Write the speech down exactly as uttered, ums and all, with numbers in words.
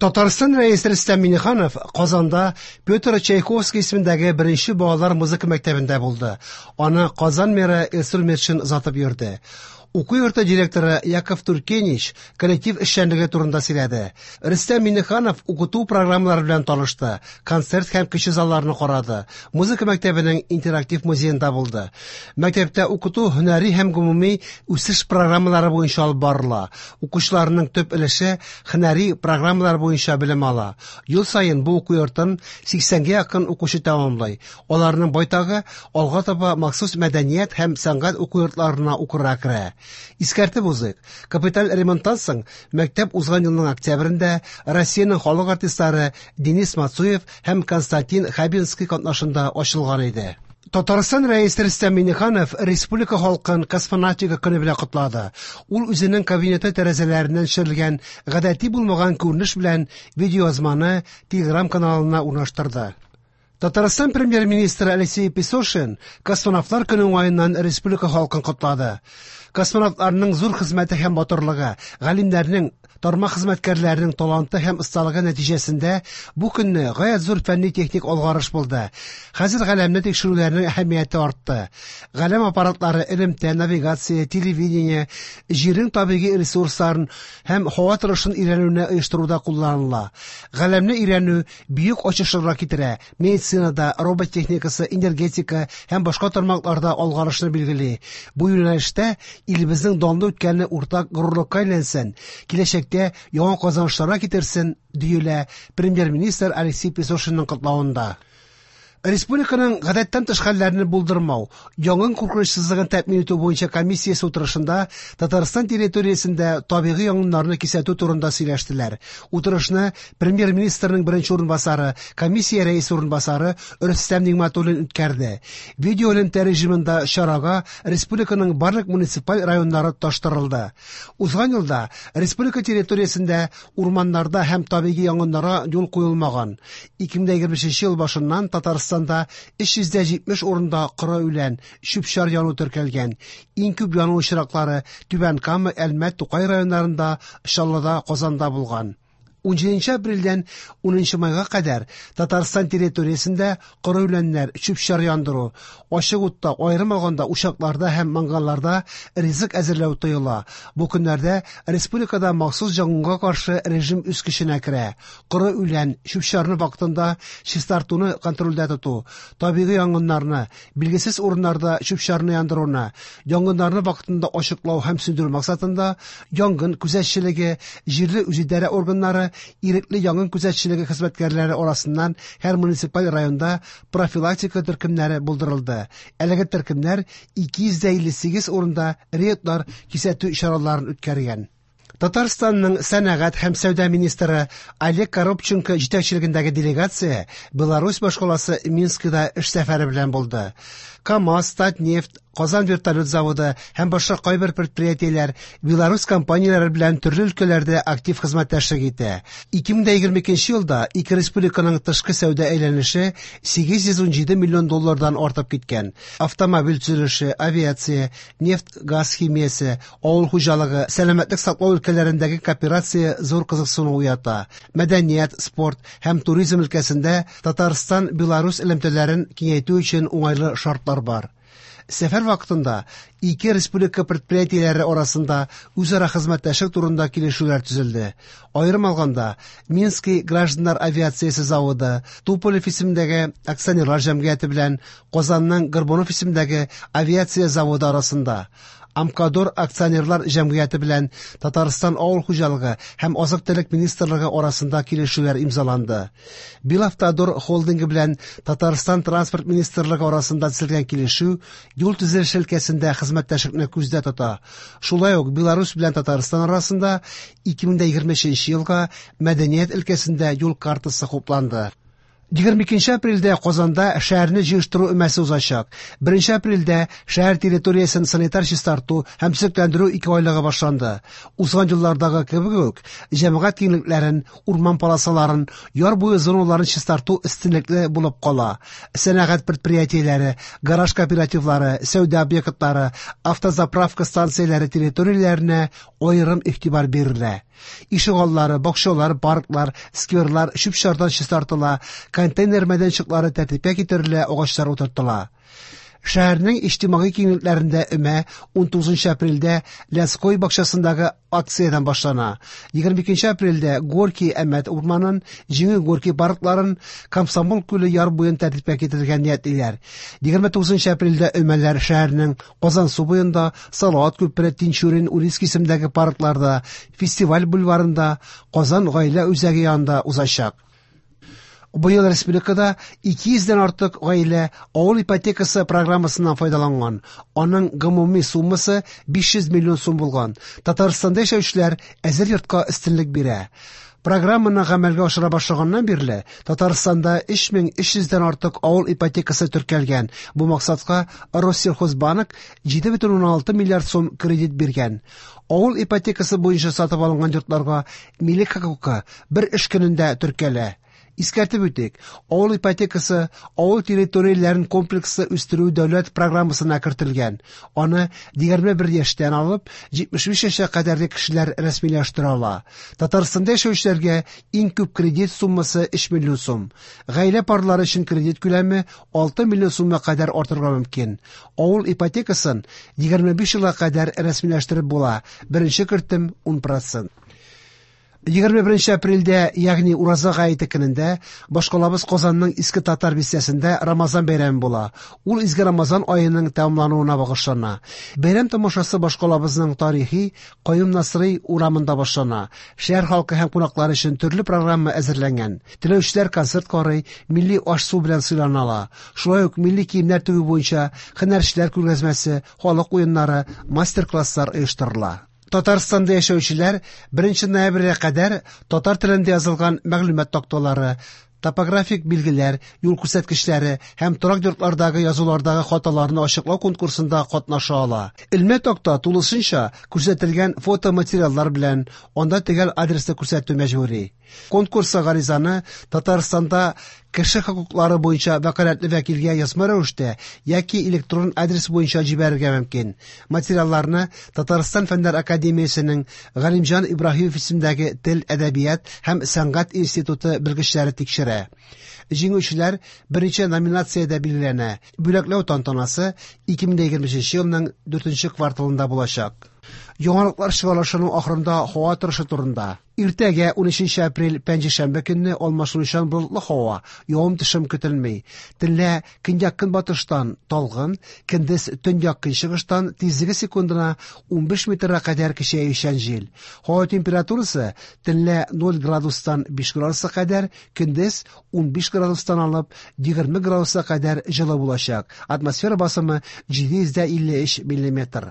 Татарстан Рәисе Рөстәм Миңнеханов Казанда Петр Чайковский исемендәге беренче балалар музыка мәктәбендә булды. Аны Казан мэры Илсур Метшин озатып йөрде. Уку йорты директоры Яков Туркенич коллектив эшчәнлеге турында сөйләде. Рөстәм Миңнеханов укыту программалары белән танышты, концерт һәм кече залларны карады, музыка мәктәбенең интерактив музеенда булды. Мәктәптә укыту һөнәри һәм гомуми үсеш программалары буенча алып барыла. Укучыларның төп өлеше һөнәри программалар буенча белем ала. Ел саен бу уку йортын сиксәнгә якын укучы тәмамлый. Аларның байтагы алга таба махсус мәдәният һәм сәнгать уку йортларына укырга керә. Искәртеп узыйк, капиталь ремонттан соң мәктәп узган елның октябрендә Россиянең халык артистлары Денис Мацуев һәм Константин Хабенский катнашында ачылган иде. Татарстан Рәисе Рөстәм Миңнеханов республика халкын космонавтика көне белән котлады. Ул үзенең кабинеты тәрәзәләреннән төшерелгән гадәти булмаган күренеш белән видеоязманы Telegram каналына урнаштырды. Татарстан премьер-министры Алексей Песошин космонавтлар көне уңаеннан республика халкын котлады. Космонавтларның зур хезмәте һәм батырлыгы, галимнәрнең, тармак хезмәткәрләренең таланты һәм осталыгы нәтиҗәсендә бу көнне гаять зур фәнни-техник алгарыш булды. Хәзер галәмне тикшерүләрнең әһәмияте артты. Галәм аппаратлары элемтә, навигация, телевидение, җирнең табигый ресурсларын һәм һава торышын өйрәнүне оештыруда кулланыла. Галәмне өйрәнү бөек ачышларга китерә. Медицинада, робот техникасы, энергетика һәм башка тармакларда алгарышны билгели. Бу юнәлештә илебезнең данлы үткәне уртак горурлыкка әйләнсен, киләчәктә яңа казанышларга китерсен, диелә премьер-министр Алексей Песошинның котлавында. Республиканың гадәттән тыш хәлләрне булдырмау, янгын куркынычсызлыгын тәэмин итү буенча комиссиясе утырышында Татарстан территориясендә табигый янгыннарны кисәтү турында сөйләштеләр. Утырышны премьер-министрның беренче урынбасары, комиссия рәисе урынбасары Рөстәм Нигъмәтуллин үткәрде. Видеоэлемтә режимында чарага республиканың барлык муниципаль районнары тоташтырылды. Узган елда республика территориясендә урманнарда һәм табигый янгыннарга юл куелмаган. ике мең егерме бишенче ел башыннан Татарстан өч йөз дә җитмеш урында коры үлән, чүп-чар яну теркәлгән. Иң күп яну очраклары Түбән Кама, Әлмәт, Тукай районнарында, Чаллыда, Казанда булган. Унҗиденче апрельдән унынчы майга кадәр Татарстан территориясендә коры үләннәр, чүп-чар яндыру, ачык утта, аерым алганда учакларда һәм мангалларда ризык әзерләү тыела. Бу көннәрдә республикада махсус янгынга каршы режим үз көченә керә. Коры үлән, чүп-чарны вакытында чистартуны контрольдә тоту, табигый янгыннарны, билгесез урыннарда чүп-чарны яндыруны, янгыннарны вакытында ачыклау һәм сүндерү максатында янгын күзәтчелеге, җирле үзидарә органнары, ирекле янгын күзәтчелеге хезмәткәрләре арасыннан һәр муниципаль районда профилактика төркемнәре булдырылды. Әлеге төркемнәр ике йөз дә илле сигез урында рейдлар кисәтү чараларын үткәргән. Татарстанның сәнәгать һәм сәүдә министры Олег Коробченко җитәкчелегендәге делегация Беларусь башкаласы Минскида эш сәфәре белән булды. КАМАЗ, Татнефть, Казан вертолет заводы һәм башка кайбер предприятиеләр Беларусь компанияләре белән төрле өлкәләрдә актив хезмәттәшлек итә. ике мең егерме икенче елда ике республиканың тышкы сәүдә әйләнеше сигез йөз унҗиде миллион доллардан артып киткән. Автомобиль төзелеше, авиация, нефть, газ химиясе, авыл хуҗалыгы, сәламәтлек саклау өлкәләрендәге кооперация зур кызыксыну уята. Мәдәният, спорт һәм туризм өлкәсендә Татарстан-Беларусь элемтәләрен киңәйтү өчен уңайлы шартлар бар. Сәфәр вакытында ике республика предприятиеләре арасында үзара хезмәттәшлек турында килешүләр төзелде. Аерым алганда, Минский гражданнар авиациясе заводы, Туполев исемендәге акционерлар җәмгыяте белән Казанның Горбунов исемендәге авиация заводы арасында, Амкадор акционерлар җәмгыяте белән Татарстан авыл хуҗалыгы һәм азык-төлек министрлыгы арасында килешүләр имзаланды. Белавтодор холдингы белән Татарстан транспорт министрлыгы арасында төзелгән килешү юл төзелеше өлкәсендә хезмәттәшлекне күздә тота. Шулай ук Беларусь белән Татарстан арасында ике мең егерме өченче елга мәдәният өлкәсендә юл картасы хупланды. Егерме икенче апрельдә Казанда шәһәрне җыештыру өмәсе узачак. Беренче апрельдә шәһәр территориясен санитар чистарту һәм төзекләндерү ике айлыгы башланды. Узган еллардагы кебек үк, җәмәгать киңлекләрен, урман полосаларын, яр буе зоналарын чистарту өстенлекле булып кала. Сәнәгать предприятиеләре, гараж кооперативлары, сәүдә объектлары, автозаправка станцияләре территорияләренә аерым игътибар бирелә. Ишегаллары, бакчалар, парклар, скверлар чүп-чардан чистартыла, контейнер мәйданчыклары тәртипкә китерелә, агачлар утыртыла. Шәһәрнең иҗтимагый киңлекләрендә өмә унтугызынчы апрельдә Лядской бакчасындагы акциядән башлана. Егерме икенче апрельдә Горький Әмәт урманын, Җиңү Горький паркларын, Комсомол күле яр буен тәртипкә китерергә ниятлиләр. Егерме тугызынчы апрельдә өмәләр шәһәрнең Казансу буенда, Салават күпере, Тинчурин, Урицкий исемендәге паркларда, Фестиваль бульварында, Казан гаилә үзәге янында узачак. Быел республикада ике йөздән артык гаилә авыл ипотекасы программасыннан файдаланган. Аның гомуми суммасы биш йөз миллион сум булган. Татарстанда яшәүчеләр әзер йортка өстенлек бирә. Программаны гамәлгә ашыра башлаганнан бирле Татарстанда өч мең өч йөздән артык авыл ипотекасы теркәлгән. Бу максатка Россельхозбанк җиде бөтен уннан алты миллиард сум кредит биргән. Авыл ипотекасы буенча сатып алынган йортларга милек хокукы бер эш көнендә теркәлә. Искәртеп үтик, авыл ипотекасы авыл территорияләрен комплекслы үстерү дәүләт программасына кертелгән. Аны егерме бер яшьтән алып җитмеш биш яшькә кадәрге кешеләр рәсмиләштерә ала. Татарстанда яшәүчеләргә иң күп кредит суммасы өч миллион сум. Гаилә парлары өчен кредит күләме алты миллион сумга кадәр артырга мөмкин. Авыл ипотекасын егерме биш елга кадәр рәсмиләштереп була. Беренче кертем ун процент. Егерме беренче апрельдә, ягъни Ураза гаете көнендә, башкалабыз Казанның Иске Татар бистәсендә Рамазан бәйрәме була. Ул изге Рамазан аеның тәмамлануына багышлана. Бәйрәм тамашасы башкалабызның тарихи Каюм Насыйри урамында башлана. Шәһәр халкы һәм кунаклар өчен төрле программа әзерләнгән. Теләүчеләр концерт карый, милли аш-су белән сыйлана ала. Шулай ук милли киемнәр тегү буенча һөнәрчеләр күргәзмәсе, халык уеннары, мастер-класслар оештырыла. Татарстанда яшәүчеләр беренче ноябрьгә кадәр татар телендә язылган мәгълүмат такталары, топографик билгеләр, юл күрсәткечләре һәм торак йортлардагы язулардагы хаталарны ачыклау конкурсында катнаша ала. Элмә такта тулысынча күрсәтелгән фотоматериаллар белән анда төгәл адресны күрсәтү мәҗбүри. Конкурска гаризаны Татарстанда кеше хокуклары буенча вәкаләтле вәкилгә язма рәвештә яки электрон адрес буенча җибәрергә мөмкин. Материалларны Татарстан Фәннәр Академиясенең Галимҗан Ибраһимов исемендәге Тел, әдәбият һәм сәнгать институты белгечләре тикшерә. Җиңүчеләр беренче номинациядә билгеләнә. Бүләкләү тантанасы ике мең егерме өченче елның дүртенче кварталында булачак. Яңалыклар чыгарылышының ахырында һава торышы турында. Иртәгә унөченче апрель пәнҗешәмбе көнне алмашынучан болытлы һава, явым-төшем көтелми. Төнлә көньяк-көнбатыштан талгын, көндез төньяк-көнчыгыштан тизлеге секундына унбиш метрга кадәр көчәючән җил. Һава температурасы төнлә ноль градустан биш градуска кадәр, көндез унбиш градустан алып егерме градуска кадәр җылы булачак. Атмосфера басымы җиде йөз дә илле өч миллиметр.